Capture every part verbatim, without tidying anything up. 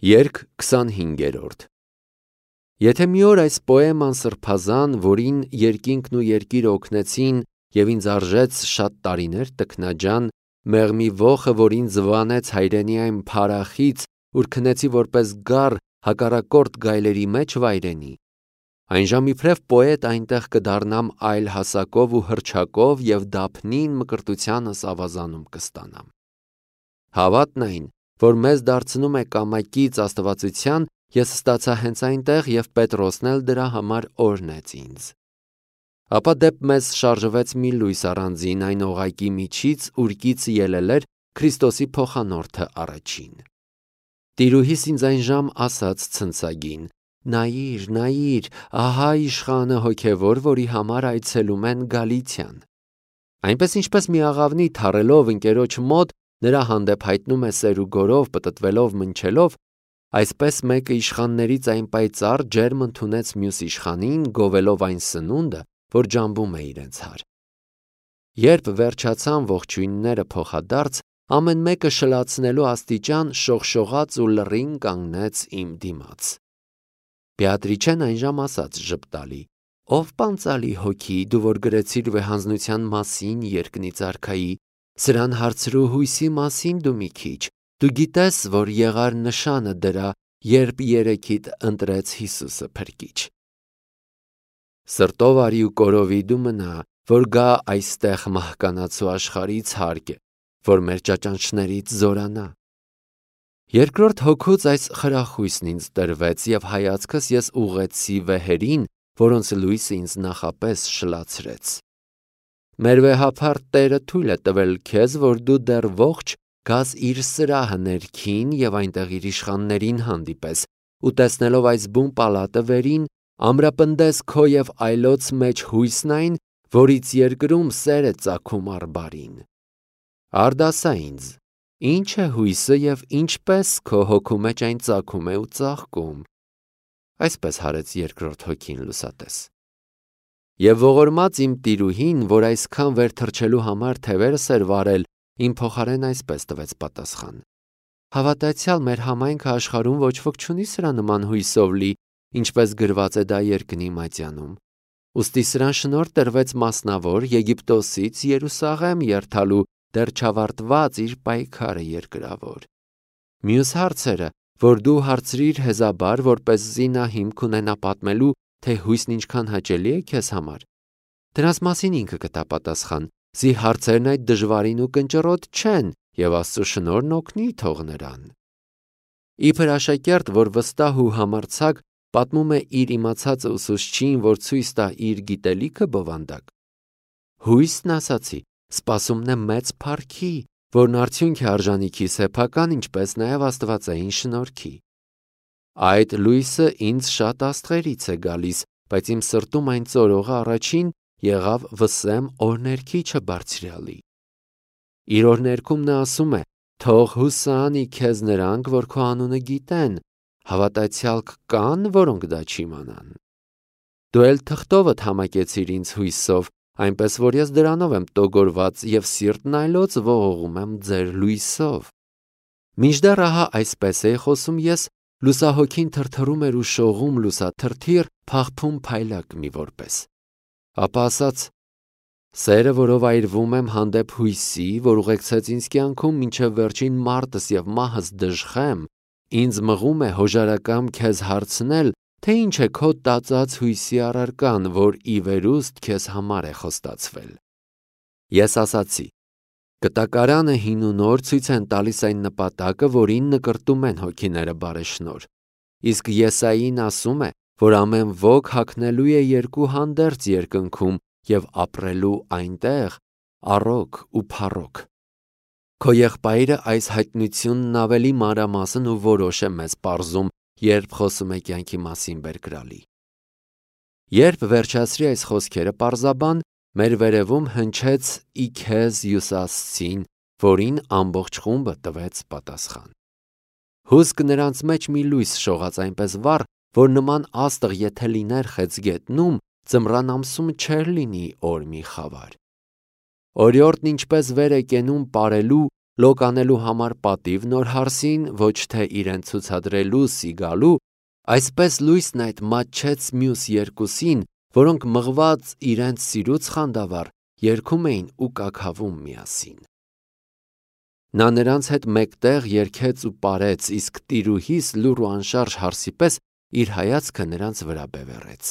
Երգ քսանհինգերորդ Եթե մի օր այս պոեման սրբազան, որին երկինքն ու երկիրը օգնեցին և ինձ արժեց շատ տարիներ տքնաջան, մեղմի ոխը, որ ինձ վանեց հայրենի այն փարախից, ուր քնեցի որպես գառ հակառակորդ գայլերի մեջ վայրենի, այն ժամ իբրև պոետ այնտեղ կդառնամ այլ հասակով ու հռչակով և դափնին մկրտությանս ավազանում կստանամ։ Հավատն այն, որ մեզ դարձնում է կամակից աստվածության, ես ստացա հենց այնտեղ և Պետրոսն էլ դրա համար օրհնեց ինձ։ Ապա դեպ մեզ շարժվեց մի լույս առանձին այն օղակի միջից, ուրկից ելել էր Քրիստոսի փոխանորդը առաջին։ Տիրուհիս ինձ այն ժամ ասաց ցնցագին. «Նայիր, նայիր, ահա իշխանը հոգևոր, որի համար այցելում են Գալիցիան»։ Այնպես ինչպես մի աղավնի թռելով ընկերոջ մոտ նրա հանդեպ հայտնում է սեր ու գորով, պտտվելով, մնչելով, այսպես մեկը իշխաններից այն պայծառ ջերմ ընդունեց մյուս իշխանին, գովելով այն սնունդը, որ ջամբում է իրենց հար։ Երբ վերջացան ողջույնները փոխադարձ, ամեն մեկը շլացնելու աստիճան շողշողաց ու լռին կանգնեց իմ դիմաց։ Բեատրիչեն այնժամ ասաց ժպտալի. «Ով պանծալի հոգի, դու որ գրեցիր վեհանձնության մասին երկնից արքայի, սրան հարցրու հույսի մասին դու մի քիչ, դու գիտես, որ եղար նշանը դրա, երբ երեքիդ ընտրեց Հիսուսը փրկիչ։ Սրտով արի ու կորովի դու մնա, որ գա այստեղ մահկանացու աշխարհից հարկը, որ մեր ճաճանչներից զորանա»։ Երկրորդ հոգուց այս խրախույսն ինձ տրվեց և հայացքս ես ուղղեցի վեհերին, որոնց լույսը ինձ նախապես շլացրեց։ Մեր վեհափառ Տերը թույլ է տվել քեզ, որ դու դեռ ողջ գաս իր սրահը ներքին և այնտեղ իր իշխաններին հանդիպես ու տեսնելով այս բուն պալատը վերին, ամրապնդես քո և այլոց մեջ հույսն այն, որից երկրում սեր է ծագում առ բարին։ Արդ ասա ինձ, ի՞նչ է հույսը և ինչպես քո հոգու մեջ այն ծագում է ու ծաղկում։ Այսպես հարեց երկրորդ հոգին լուսատես։ Եվ ողորմած իմ տիրուհին, որ այսքան վեր թռչելու համար թևերս էր վարել, իմ փոխարեն այսպես տվեց պատասխան. «Հավատացյալ մեր համայնքը աշխարհում ոչ ոք չունի սրա նման հույսով լի, ինչպես գրված է դա երկնի մատյանում։ Ուստի սրան շնորհ տրվեց մասնավոր Եգիպտոսից Երուսաղեմ երթալու դեռ չավարտված իր պայքարը երկրավոր։ Մյուս հարցերը, որ դու հարցրիր հեզաբար, որպեսզի նա հիմք ունենա պատմելու, թե հույսն ինչքան հաճելի է քեզ համար, դրանց մասին ինքը կտա պատասխան, զի հարցերն այդ դժվարին ու կնճռոտ չեն, և Աստծո շնորհն օգնի թող նրան»։ Իբր աշակերտ, որ վստահ ու համարձակ պատմում է իր իմացածը ուսուցչին, որ ցույց տա իր գիտելիքը բովանդակ։ Հույսն ասացի, սպասումն է մեծ փառքի, որն արդյունք է արժանիքի սեփական, ինչպես նաև աստվածային շնորհքի։ Այդ լույսը ինձ շատ աստղերից է գալիս, բայց իմ սրտում այն ծորողը առաջին եղավ Վսեմ օրհներգիչը բարձրյալի։ Իր օրհներգում նա ասում է. «Թող հուսանի քեզ նրանք, որ քո անունը գիտեն, հավատացյալ կան, որոնք դա չիմանան»։ Դու էլ թղթովդ համակեցիր ինձ հույսով, այնպես որ ես դրանով եմ տոգորված և սիրտն այլոց ողողում եմ ձեր լույսով։ Մինչդեռ ահա այսպես էի խոսում ես, լուսահոգին թրթռում էր ու շողում լուսաթրթիռ, փաղփուն փայլակ մի որպես։ Ապա ասաց. «Սերը, որով այրվում եմ հանդեպ հույսի, որ ուղեկցեց ինձ կյանքում մինչև վերջին մարտս և մահս դժխեմ, ինձ մղում է հոժարակամ քեզ հարցնել, թե ինչ է քո տածած հույսի առարկան, որ ի վերուստ քեզ համար է խոստացվել»։ Ես ասացի. «Կտակարանը հին ու նոր ցույց են տալիս այն նպատակը, որին նկրտում են հոգիները բարեշնորհ, իսկ Եսային ասում է, որ ամեն ոք հագնելու է երկու հանդերձ երկնքում և ապրելու այնտեղ առօգ ու փառոք»։ Քո եղբայրը այս հայտնությունն ավելի մանրամասն ու որոշ է մեզ պարզում, երբ խոսում է կյանքի մասին բերկրալի։ Երբ վերջացրի այս խոսքերը պարզաբան, մեր վերևում հնչեց «Ի քեզ հյուսասցին», որին ամբողջ խումբը տվեց պատասխան։ Հուսք նրանց մեջ մի լույս շողաց այնպես վառ, որ նման աստղ եթե լիներ խեցգետնում, ձմռան ամսում չէր լինի օր մի խավար։ Օրիորդն ինչպես վեր է կենում պարելու, լոկանելու համար պատիվ նոր հարսին, ոչ թե իրեն ցուցադրելու սիգալու, այսպես լույսն այդ մատչեց մյուս երկուսին, որոնք մղված իրենց սիրուց խանդավառ երգում էին ու կաքավում միասին։ Նա նրանց հետ մեկտեղ երգեց ու պարեց, իսկ տիրուհիս լուռ ու անշարժ հարսի պես իր հայացքը նրանց վրա բևեռեց։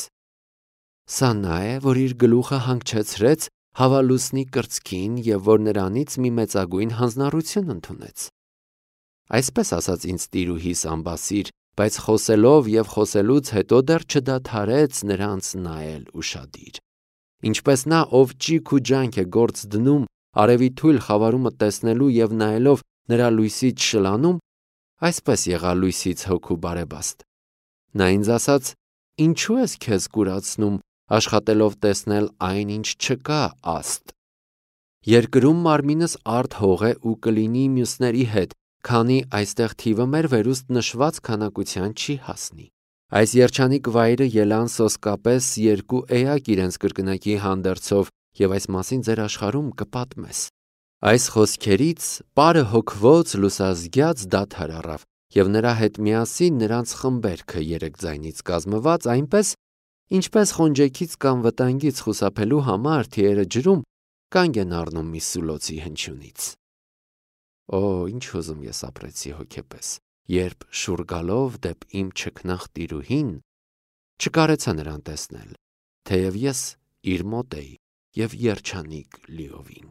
Սա նա է, որ իր գլուխը հանգչեցրեց հավալուսնի կրծքին և որ նրանից մի մեծագույն հանձնառություն ընդունեց։ Այսպես ասաց ինձ տիրուհիս ամբասիր, բայց խոսելով և խոսելուց հետո դեռ չդադարեց նրանց նայել ուշադիր։ Ինչպես նա, ով ճիգ ու ջանք է գործ դնում արևի թույլ խավարումը տեսնելու և նայելով նրա լույսից շլանում, այսպես եղա լույսից հոգու բարեբաստ։ Նա ինձ ասաց. «Ինչու ես քեզ կուրացնում, աշխատելով տեսնել այն, ինչ չկա, աստ։ Երկրում մարմինս արդ հող է ու կլինի մյուսների հետ, քանի այստեղ թիվը մեր վերուստ նշված քանակության չի հասնի։ Այս երջանիկ վայրը ելան սոսկապես երկու էակ իրենց կրկնակի հանդերձով և այս մասին ձեր աշխարհում կպատմես»։ Այս խոսքերից պարը հոգվոց լուսազգյաց դադար առավ, և նրա հետ միասին նրանց խմբերքը երեք ձայնից կազմված, այնպես, ինչպես խոնջեքից կամ վտանգից խուսափելու համար թիերը ջրում կանգ են առնում մի սուլոցի հնչյունից։ Օ, ինչ ուզում ես ապրեցի հոգեպես, երբ շուռ գալով դեպ իմ չքնաղ տիրուհին, չկարեցա նրան տեսնել, թեև ես իր մոտ էի և երջանիկ լիովին։